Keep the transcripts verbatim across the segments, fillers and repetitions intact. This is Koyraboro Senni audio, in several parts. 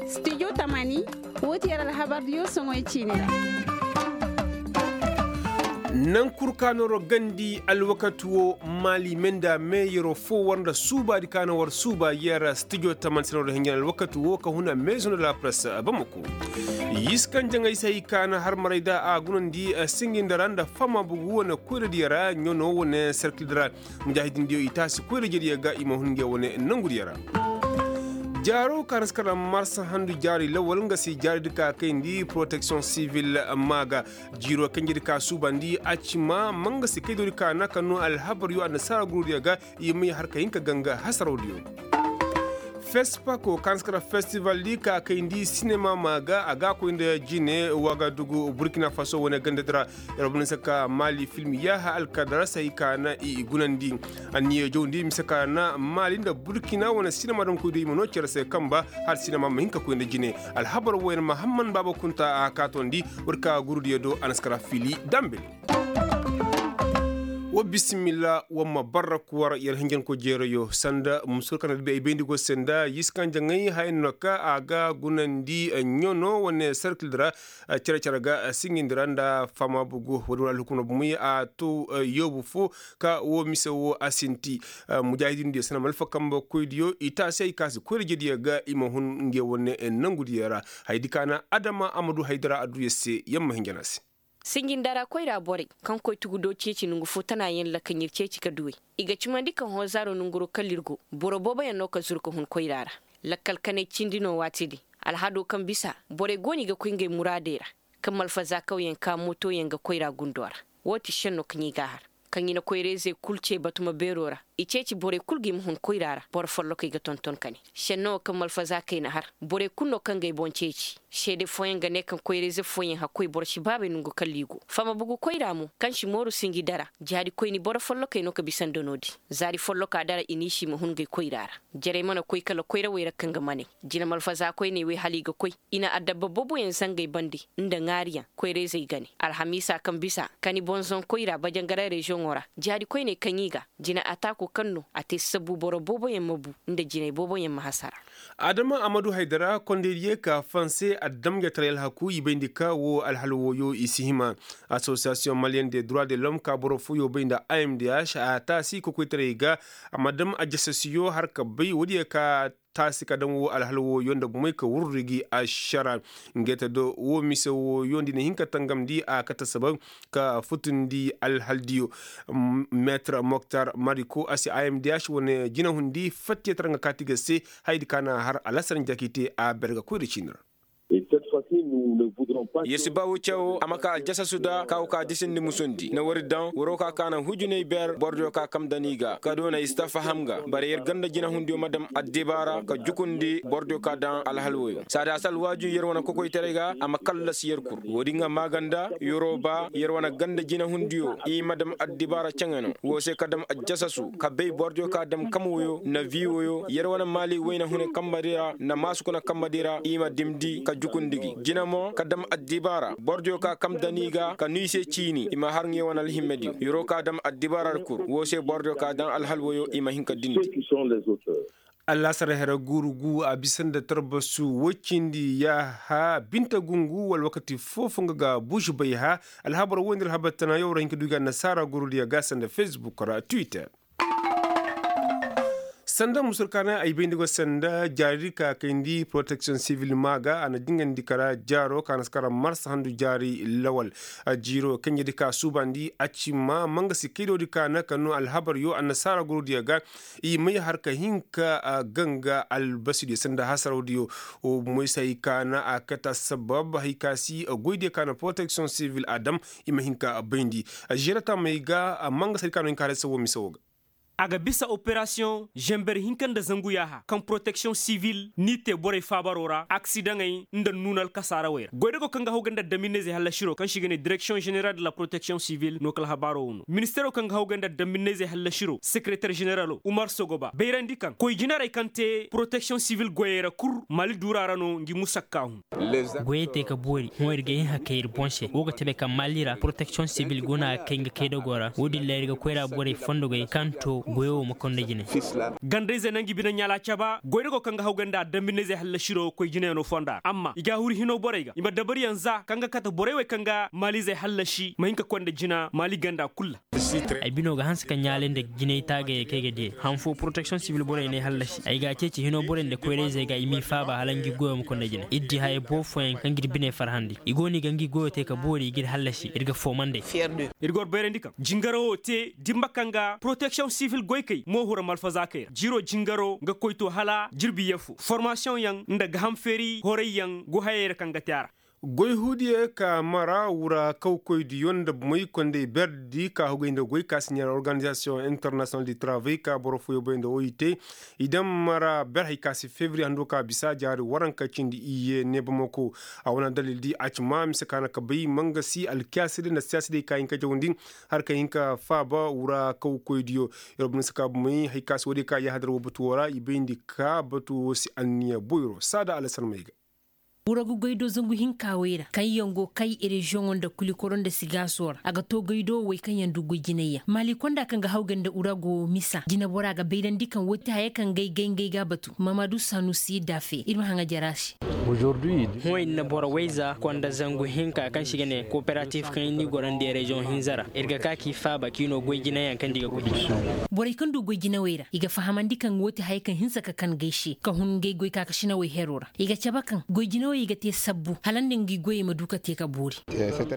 Studio tamani, woo ti yer alhabar diyo soŋoy ciini ra. Naŋ kul ka nooro gandi alwakati woo maali me nda meeyaroo foo war nda suubaadi ka na war suuba yer studio tamani se nooro hinjin alwakati woo ka huna meezo nda lapress bamako. Yiskan jaŋay se hay ka na har maray da a gunandi singi nda ra nda fama bugu wane koyradiyo ra ɲono wane serkildi ra. Mujahidindiyo i taasi koyra jediyo ga i ma hun nge wane nongudiyo ra. Jaaro ka na si kala marsa handu jaari lawal nga si jaaridi ka kayndi protection civil. Maaga jiiro kanjedi ka suubandi a ci ma manga si kaydodi ka na ka no alhabaryo annasaara gurudiyo ga. I may har ka hin ka ganga hasarawdiyo. Fespako ka na si kala festival di ka kayndi sinema maaga a ga koy nda jine wagadugu burkina faso wane gandadi ra. Yer bana se ka maali film yaaha alkadarasa i ka na i gunandi. Anniya jawndi mise ka na maali nda burkina wane sinema damkoydiyo i ma noo cere se kamba. Hala sinema ma hin ka koy nda jine. Alhabar wooyaŋ mahamman baaba kunta a kaatondi. War ka gurudiyo do a na si kara fili dambe. Wa bisimilla wa ma barra kuwar yer hinjanko jeerayo sanda musur kaŋ na dibi ay bayndi go se nda yiskanjaŋay haya no ka a ga gunandi ɲono wane serkildi ra. Cere-cere ga singindi ra nda fama bugu woodi wane alhukum no bumey a to yoobu fo ka wo mise wo a sinti. Mujahidindiyo sanda malfa kambe koydiyo i taasi ay ka si koyra jediyo ga i ma hun nge wane nongudiyo ra. Hayadi ka na adama a ma du haydara adduya se yamma hinjana se. Sinjinda ra koyra borey kaŋ koy tugu do ceeci nongu fo tana yaŋ lakka ɲir ceeci ka duwey. I ga cimandi ka hoozaaro nonguro kala ir go boro booboyaŋ no ka zuru ka hun koyra ra. Lakkal kanay cindi no waati din. Alhado kaŋ bisa borey go no i ga koy ngey muraadey ra. Kaŋ malfazaakawyaŋ ka mootoyaŋ ga koyra gundo ra. Woo ti šenno kaŋ i g'a har. Kaŋ i na koyra-izey kul ce batuma beero ra. I ceeci borey kul ga i ma hun koyra ra boro follokey ga tonton ka ne. Šenno wo kaŋ malfazaakey na har borey kul no kaŋ ga ay boŋ ceeci. Seede fooyaŋ ga ne kaŋ koyra-ize fooyaŋ hakkoy boro si baabey nongu kala i go fama bugu koyra mo kaŋ si mooru sinji dara. Jaari koyni boro follokey no ka bisa nda no-din. Zaari folloka dara i n'i si i ma hun ngey koyra ra. Jarey mana koy kala koyrawey ra kaŋ ga maney. Jina malfazaakoyney wey hala i ga koy. I na addabba booboyaŋ zangey bande nda ŋaariyaŋ koyra-izey gane alhamiisa kaŋ bisa kani bonzon koyra bajangaray reziyoŋo ra. Jaari koyney kaŋ i ga jina ataaku kaŋ no a te sabbu boro booboyaŋ ma bu nda jinay booboyaŋ ma hasara. Adama amadu haydara kondey diyo ka fanse addamjataray alhaku i bayndi ka wo alhal wooyo i si hima. Asosiyasiyoŋ maliyende dura de lom ka boro fooyo bay nda a m d h a taasi kokoytaray ga. A ma dam ajasasiyo har ka bay woodiyo ka taasi ka daŋ wo alhal wooyo nda bumey ka wurri gi ašara. Ngey te do wo mise wooyo nda i na hin ka tangamndi a kate sabab ka futundi alhaldiyo. Meetar moktar mariko a si a m d h wane jinahundi fattiyatar nga kaati ga se. Hayadi ka na har alasar nja k'i te a berga koyra ciini ra. Yer si ba wuccawo a ma ka aljasasu da ka wo ka disindi musundi na wari daŋ waro ka ka na hujunay ber bordiyo ka kam daŋ i ga ka doona i si ta faham ga. Bara yer ganda jinahundiyo ma daŋ addibaara ka jukundi bordiyo ka daŋ alhal woyo saada a si alwaaju yer wane kokoytaray ga a ma kallasi yer kur. Woodin ga maaganda yeroo ba yer wane ganda jinahundiyo i ma daŋ addibaara caŋano woo se ka daŋ aljasasu ka bay bordiyo ka daŋ kam woyo na vi woyo yer wane maali wayna hune kambadi ra na maasukuna kambadi ra i ma dimndi ka jukundi gi jina mo ka dam addibaara bordiyo ka kam dani ga ka nuy se ciini i ma har ŋe wane alhimmediyo yeroo ka dam addibaara ra kur woo se bordiyo ka daŋ alhal woyo i ma hin ka dindi. Allaasara here guuru gu a bisa nda tarbasu woy cindi yaaha binta gungu wala wakati foofo nga ga buusi bay ha. Alhabar woy nda alhabar tana yaw ra hin ka du ga annasaara gurudiyo ga sanda fesbuk ra twitter. Sanda musur kaana ay bay nda go sanda jaari ka kayndi protection civil maaga a na dingandi kara jaaro ka na si kara marsa handu jaari lawal. Jiiro kaŋ ya di ka suubandi a ci ma manga si kaydoodi kaana ka no alhabaryo annasaara gurudiyo ga. I may har ka hin ka ganga albasidiyo sanda hasarawdiyo. Moy se hay kaana a kate assabab hay ka si goydiyo kaana protection civil a dam. I ma hin ka bayndi. Žerata may ga manga se hay kaana hin ka har ay se wo mise wo ga. A ga bisa operasiyoŋ zenber hinka nda zangu yaaha kaŋ protection civil n'i te borey faabaro ra aksidaŋey nda nuuna alkasaarawey ra goydago kaŋ ga hawgay nda addaminayzey hallasiro kaŋ se i ga ne direksiyoŋ ženeral de la protection civil no kala habaaro wo no ministeero kaŋ ga hawgay nda addaminayzey hallasiro sekereter ženeralo umar sogoba bayrandi kaŋ koy jinarey kaŋ te protection civil goyey ra kul mali duura ra no ngi musakka hun. Goyey te ka boori hõ ir ga hin hakay ir boŋ se wo ga tabe kaŋ mali ra protection civil go no a ga kay nga kaydago ra wo- din ra ir ga koyra borey fondogey kaŋ to Goyo wo ma konda jine. Gandayzey na ngi bine ɲaala caba goydago kaŋ ga hawgay nda dambinayzey hallasi do koy jineyaŋo fonda ra amma i ga a huri hino borey ga i ma dabariyaŋ za kaŋ ga kate borey wey kaŋ ga maalizey hallasi ma hin ka koy nda jina maali ganda kul ra. Ay bino ga hanse ka ɲaalay nda jinay taagayey kaŋ ay ga diyey han foo poroteksiyoŋ sibil borey n'ay hallasi ay ga a ceeci hino borey nda koyrayzey ga i m'i faaba hala ngi goyo ma koy nda jine ir di hayey boobo fooyaŋ kaŋ g'ir biney farhandi i go no i ga ngi goyo te ka boori i g'ir hallasi ir ga foomandey. Ir ga war bayrandi kaŋ jingaro wo te dimba kaŋ ga poroteksiyoŋ sivil goykey mo hura malfazaakey ra jiiro jingaro ga koy to hala jirbi yee fo formasiyoŋ yaŋ nda gaham feeri horayyaŋ go hayey ra kaŋ ga te a ra. Goy huudiyey ka mara wura kawkoydiyo nda moy kondey berdi ka hugay nda goy ka si ɲaara organizasiyoŋ internasiyonal di taravey ka boro fooyoo bay nda o i te. I daŋ mara ber hay ka si fevriye hando ka bisa jaari waranka cindi iyye neebamako. A wane dalil di a ci ma mise ka na ka bay mangasi alkiyaasi day nda siyaasi day ka hin ka jawandi. Har ka hin ka faaba wura kawkoydiyo. Yer bumey si ka bumey hay ka si woodiyo ka yaahadar woo batu woo ra i bayndi ka batu woo si anniya boyro saada alasan may ga. Wuragu goy do zangu hinka wey ra kaŋ yaŋ go kay reziyoŋo nda kulikoro nda sigaaso ra a ga to goy do wey kaŋ yaŋ du goy jinay yaŋ maali konda kaŋ ga hawgay nda wuragu misa jinebora ga bayrandi kaŋ woo ti haya kaŋ gay gay ngey ga a batu. Mamadu sanusi daafe ir ma haŋa jara se. Hõ ir na boro wayza konda zangu hinka kaŋ se i ga ne kooperatif kaŋ ir n'i gorandi reziyoŋ hinza ra ir ga ka k'i faaba k'i no goy jinayaŋ kaŋ nda i ga goy. Borey kaŋ du goy jinawey ra i ga fahamandi kaŋ woo ti haya kaŋ hinsa ka kan gay se ka hun ngey goy kaakasinawey hero ra i ga cabe kaŋ goy jinawey i ga te sabbu hala nda ngi goyey ma du ka te ka boori.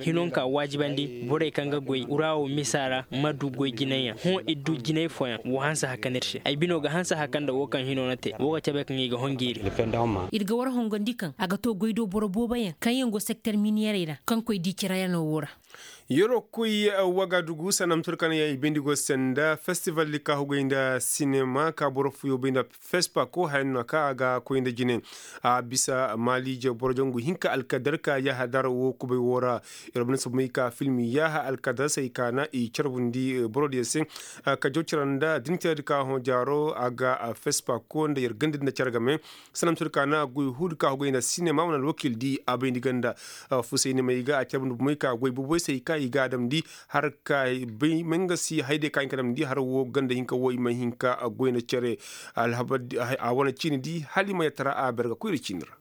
Hinonka waajibandi borey kaŋ ga goy wurawo misa ra ma du goy jinayaŋ hõ ir du jinay fooyaŋ woo hanse hakan ir se ay bino ga hanse hakan nda woo kaŋ hino na te woo ga cabe kaŋ i ga hongeeri. Ir ga war hongandi kaŋ a ga to goy do boro booboyaŋ kaŋ yaŋ go sekter miniyerey ra kaŋ koy di cirayaŋo woo ra. Yeroo koy wagadugu sanda ma tun kaŋ yaŋ i bayndi go se nda festival di ka hugay nda sinema ka boro fuyo bay nda fespako haya no na ka a ga koy nda jine. A bisa maaliije boro jangu hinka alkadar ka yahadar wo kubay wo ra. Yer bana sabmay ka film yaha alkadar se i ka na i carbundi borodiyo se. Ka jaw cara nda dinteedi ka hõ jaaro a ga fespako nda yer gandi nda care game. Sanda ma tun kaŋ a goy huudi ka hugay nda sinema wane alwakil di a bayndi ganda. Fusaynimey ga a carbundi bumey ka goy booboy se i ka i ga a damndi. Har ka bay mangasi hayday ka hin ka damndi har wo ganda hinka wo i ma hin ka goy nda care. A wane ciini di hala i ma yatara a ber ga koy nda ciini ra.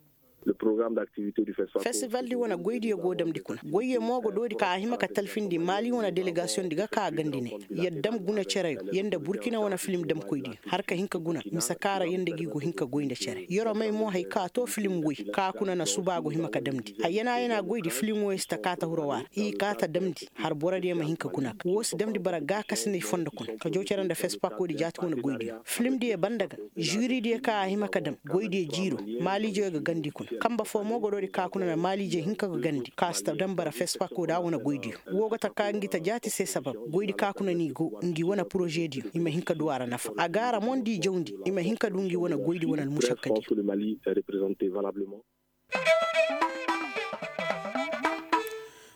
Festival di wane goydiyo go damndi kuna goyyo mo ga doodi ka a hima ka talfindi maali wane delegasiyoŋ di ga ka gandi ne. Yer dam guna cereyo yer nda burkina wane filim damkoydiyo har ka hin ka guna mise kaŋ ra yer nda gi go hin ka goy nda cere yeroo may mo hari kaŋ a to filim woy kaŋ a kuna na suba a go hima ka damndi hayyana yana goydi filim woy si ta kaata huro waara i kaata damndi har borodiyo ma hin ka guna ka woo si damndi bara gaakasinay fondo kuna ka jaw cere nda fespako di jaati wane goydiyo filim diyo banda ga. Žuri diyo kaŋ a hima ka dam goy diyo jiiro maaliijey ga gandi kuna kambe foo mo godo di ka kuna na maaliijey hinka ga gandi ka si ta dam bara fespako da a wane goy diyo. Woo ga ta ka ngi ta jaati se sabab goy di ka kuna no i go ngi wane poroze diyo i ma hin ka du a ra nafa a ga a ra mo nda i jawndi i ma hin ka du ngi wane goy di wane almušakka diyo.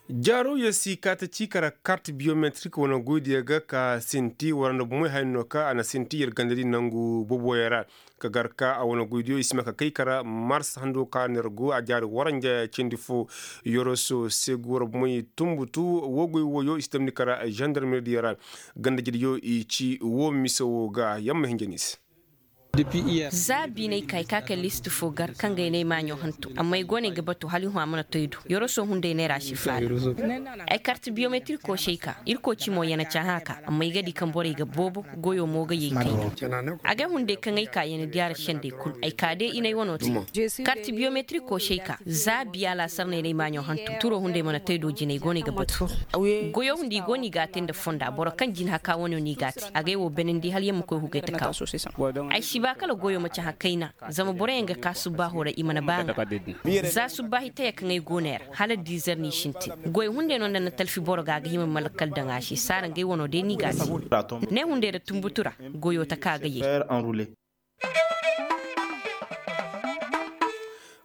Jaaro yer si kaata ciikara kart biyometrik wane goydiyo ga ka sinti war nda bumey haya no ka a na sinti yer ganda di nangu boboyo ra. Ka gar ka a wane goydiyo i si ma ka kay kara mars hando ka no yer go a jaari waranja cindi fo. Yoroso segu war bumey tumbutu woo goy wooyo i si damndi kara zandarmeri diyo ra. Ganda jediyo i ci woo mise woo ga yer ma hinja ni se. Za biinay ka ay ka kay list fo gar kaŋ ga ay ne ay maaɲo hantu amma ay go no ay ga batu hala ay hõ a mana to ay do yoroso hunday neera si faala. Ay karti biyometiriko se ay ka irkoy ci mo yana cahã ka amma ay ga di kaŋ borey ga boobo. Goyo mo ga ye kayna. Agay hunday kaŋ ay ka yana diyaara sendey kulu ay ka day inay wano te. Karti biyometiriko se ay ka za biya laasar no ay ne ay maaɲo hantu turo hunday mana to ay do jina ay go no ay ga batu. Goyo hunday i go no i ga a te nda fonda boro kaŋ jinhaka wano no i ga a te agay wo benandi hala yaŋ ma koy hugay taka wo. Ay si ba kala goyo ma cahã kayna. Zama boroyaŋ ga ka subbaaho ra i mana ba nga. Za subbaahi taya kaŋ ay go no ay ra hala dizer no i sintin. Goy hunday no nda na talfi boro ga a ga hima ma lakkal daŋ a se saara ngey wano day no i ga a te. Ne hunday ra tunbutu ra goyo taka ga yay.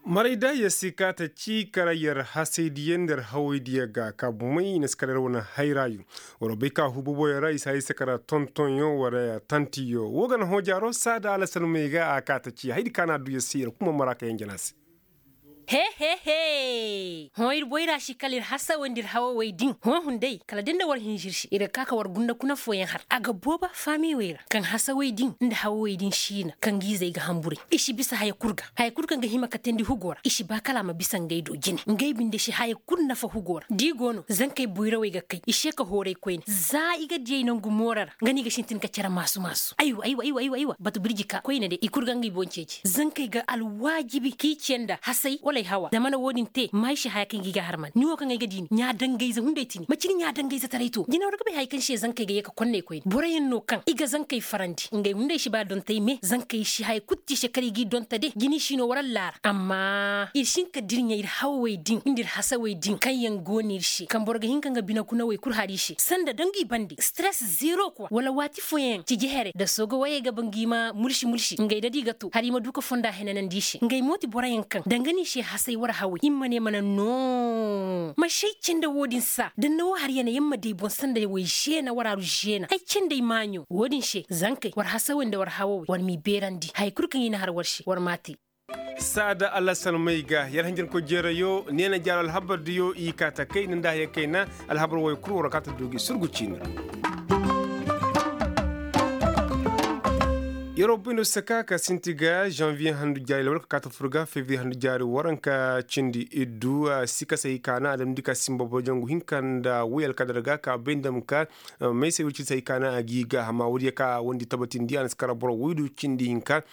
Maray da yer si kaata ci kara yer hasaydiyo nda yer hawaydiyo ga ka bumey i na si kala yer wane hayrayo. War bay ka hububoyo ra i si hay se kara tontonyo wala tantiyo wo ga na hõ jaaro saada alasalmey ga a kaata ci haydi ka na a du yer se yer kuma mara ka yanjana se. He he he. Hõ ir boyra si kala ir hasawey nda ir hawawey din hõ hunday kala da nda war hinza ir se ir ga ka ka war gunda kuna fooyaŋ har a ga booba faamiyey ra kaŋ hasawey din nda hawawey din siina kaŋ ga izey ga hamburay i si bisa haya kul ga haya kul kaŋ ga hima katandi hugo ra i si ba kala a ma bisa ngey do jine ngey binde si haya kul nafa hugo ra da i go no zankey boyrawey ga kay i se ka hooray koyne za i ga diyey nangu moora ra nga no i ga sintin ka cere maasu maasu aywa aywa aywa aywa aywa batu birji ka koyne day i kul ga ngey boŋ ceeci zankey ga alwaajibi k'i ce nda hasay wala ay hawa da mana wo-din te ma ay si haya kaŋ ga i ga harman ni wo kaŋ ay ga di ni ɲaadangayze hunday ti ni macine ɲaadangayzetaray to jina war ga bay haya kaŋ se zankey ga ye ka konney koyne boroyaŋ no kaŋ i ga zankey farandi ngey hunday si ba dontey me zankey si haya kul ti se kala i g'i donta de jina i si no war allaara amma ir si hin ka dirɲa ir hawawey din nda ir hasawey din kaŋ yaŋ go no ir se kaŋ boro ga hin ka nga binakunawey kul har i se sanda danga i bande stress zero quoi wala waati fooyaŋ ciji here nda sooga wayey ga ba ngi ma mulsi mulsi ngey da di ga to har i ma du ka fonda henanandi i se ngey mo ti boroyaŋ kaŋ danga no i se hasay war hawey i ma ne mana no ma si ay cende wo-din saa da ni na wo har yana yaŋ ma day boŋ sanda way zeena war aru zeena ay cendey maaɲo wo-din se zankey war hasawey nda war hawawey war m'i beerandi haya kul kaŋ i na har war se war m'a te saada alasalmey ga yar hanjankoy jeerayo neena jaaro alhabar diyo i kaa ta kayna nda haya kayna alhabar woy kul war kaa ta du gi surgu ciini ra yar wo bayndo saka ka sinti ga janvier handu jaari lawal ka kaa ta fur ga février handu jaari waranka cindi iddu sikasey kaa na a damndi ka simba boy jangu hinka nda woy alkadar ga ka bay nda ma ka maysa wirci say kaa na a g'i ga amma woodiyo ka wondi tabatindi a na si kara boro woydu cindi hinka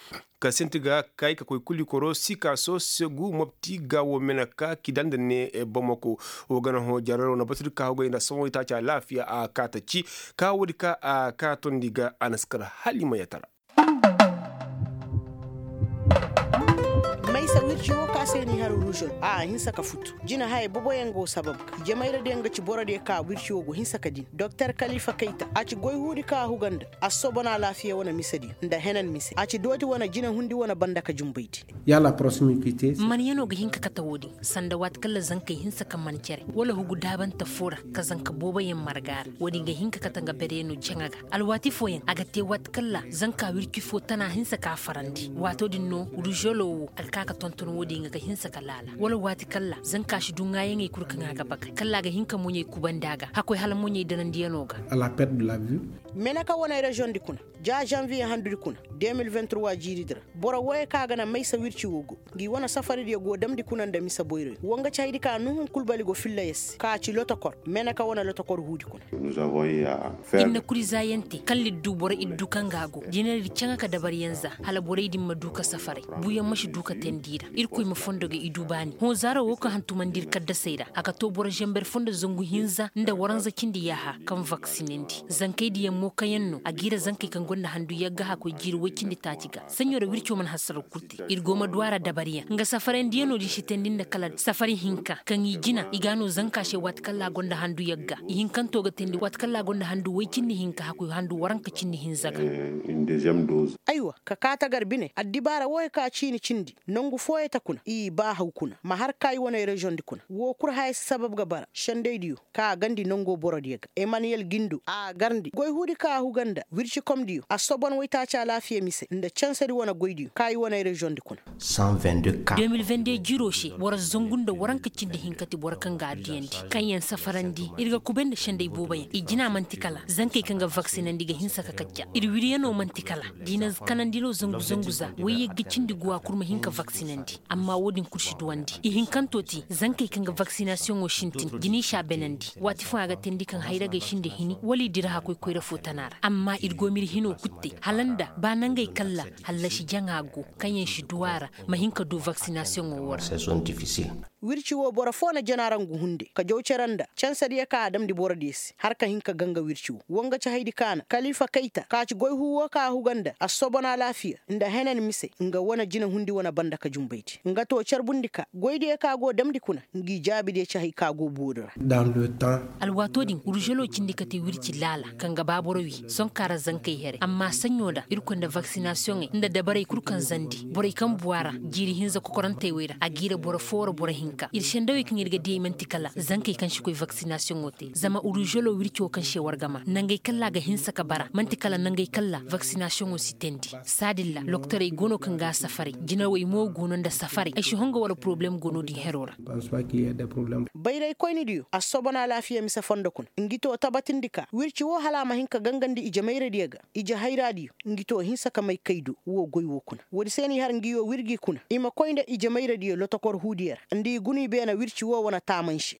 ka sinti ga kay ka koy kuli koro sika so segu mopti ga wo mena ka kida nda ne bamako wo gana hõ jararo na batudi ka hogay nda sohõ itaaci alaafiya a kaata ci ka woodi ka a kaatondi ga a na si kar hala i ma yatara maysa wirci wo ka se ni har ruzol a hinsa ka futu jina haya boboyaŋ go sabab ga jamayra diyaŋ ga ci borodiyo ka wirci wo go hinsa ka din doktor kalifa kayta a ci goy huudi ka a huga nda a si soobana alaafiya wane misediyo nda henan mise a ci dooti wane jinahundi wane banda ka jumbaydi. Manyanoo ga hin ka kate woodin sanda waati kaŋ ra zankey hinsa ka man cere wala hugu daabante foo ra ka zanka booboyaŋ marga ra woodin ga hin ka kate nga bereyanoo jaŋa ga alwaati fooyaŋ a ga te waati kaŋ ra zanka wirci foo tana hinsa ka farandi waatoo din no ruzoloo woo a ga ka ka tonton woodin ga ka hinsa ka laala wala waati kaŋ ra zanka si du ŋaayaŋey kul kaŋ a ga bagay kaŋ ra a ga hin ka moɲey kubandi a ga hakkoy hala moɲey danandiyanoo ga. Meneka wane reziyoŋ di kuna ja zanviye handudi kuna de mil vingt trois jiiridi ra boro wooyo kaŋ a ga na maysa wirci woo go ngi wane safaridiyo go damndi kuna nda mise boyroyo woo nga ci haydi ka nuhun kulbali go filla yer se ka ci lotokor meneka wane lotokor huudi kuna. Ir na kuri zaayante kaŋ liddu boro iddu kaŋ ga a go jinaridi caŋa ka dabaryaŋ za hala borey din ma du ka safaray buuyaŋ ma si du ka teendi i ra irkoy ma fondo ga i du baani hõ zaaro woo kaŋ hantumandi ir kaddasey ra a ga to boro zamber fondo zangu hinza nda waranza cindi yaaha kaŋ vaksinandi zankey diyaŋ mo kaŋyaŋ no a g'i ra zankey kaŋ gonda handu yagga hakkoy jiiri woy cindi taaci ga saɲɲo ra wirco mana hasaraw kul te ir go ma du a ra dabaryaŋ nga safarandiyaŋo din si teendi nda kala safari hinka kaŋ i jina i ga a no zanka se waati kaŋ ra a gonda handu yagga ihinkanto ga teendi waati kaŋ ra a gonda handu woy cindi hinka hakkoy handu waranka cindi hinza ga. Aywa ka kaa tagar bine addibaara wooyo ka ciini cindi nangu fooyo ta kuna i baa haw kuna ma har ka i wane reziyoŋ di kuna woo kul haya si sabab ga bara sendaydiyo ka a gandi nangoo borodiyo ga emaniyel gindo a garndi goy huudi ka a huga nda wircikomdiyo a soban woytaaci alaafiya mise nda cansadi wane goydiyo ka i wane reziyoŋ di kuna. De mil vende jiroo se boro zangu nda waranka cindi hinka ti boro kaŋ ga a diyandi kaŋyaŋ safarandi ir ga kubay nda senday booboyaŋ i jina man'ti kala zankey kaŋ ga vaksinandi ga hinsa ka kacca ir wiryanoo man'ti kala diina kanandiloo zangu zangu za woy yagga cindi guwa kul ma hin ka vaksinandi amma woodin kul si duwandi ihinkantoo ti zankey kaŋ ga vaksinasiyoŋoo sintin jinay si a benandi waati fooyaŋ a ga teendi kaŋ hayragey sinda hini wala i dira hakkoy koyra foo tana ra amma ir go ma ir hinoo kul te hala nda ba nangey kaŋ ra hallasi jaŋa go kaŋyaŋ si du a ra ma hin ka du vaksinasiyoŋoo woo ra. Wirci woo boro foo na jana ra ngu hunde ka jaw cere nda cansadiyo kaŋ a damndi borodiyo se hala ka hin ka ganga wirci woo woo nga ci haydi kaŋ a na kalifa kayta ka ci goy huu woo kaŋ a huga nda a si soban alaafiya nda henan mise nga wane jinahundi wane banda ka jumbaydi nga too carbundi ka goydiyo kaŋ a go damndi kuna ngi jaabidiyo ci hay kaŋ a go boori ra. Alwaatoo din uruželoo cindi ka te wirci laala kaŋ ga ba boro wii sonkaa ra zankey here amma saɲɲo nda irkoy nda vaksinasiyoŋey nda dabarey kul kaŋ zandi borey kaŋ bu a ra jiiri hinza kokorantey wey ra a g'i ra boro foo wara boro hinka ir sendawey kaŋ ir ga diyey man'ti kala zankey kaŋ si koy vaksinasiyoŋoo te zama uruželoo wircoo kaŋ se war ga maa nangey kaŋ ra a ga hinsa ka bara man'ti kala nangey kaŋ ra vaksinasiyoŋoo si teendi saadin ra lokotorey go no kaŋ ga a safaray jinawey mo go no nda safaray. Si honga wala poroblem go no-din hero ra. Bayraykoynidiyo assobon alaafiya mise fondo kuna ngi to tabatindi ka wirci woo hala a ma hin ka gangandi ije mayradiyo ga, ije hayraadiyo ngi to hinsa ka may kay do woo goy woo kuna woodi se no i har ngi woo wir gi kuna i ma koy nda ije mayradiyo lotokor huudiyo ra nda i guna i beena wirci woo wane taamanse.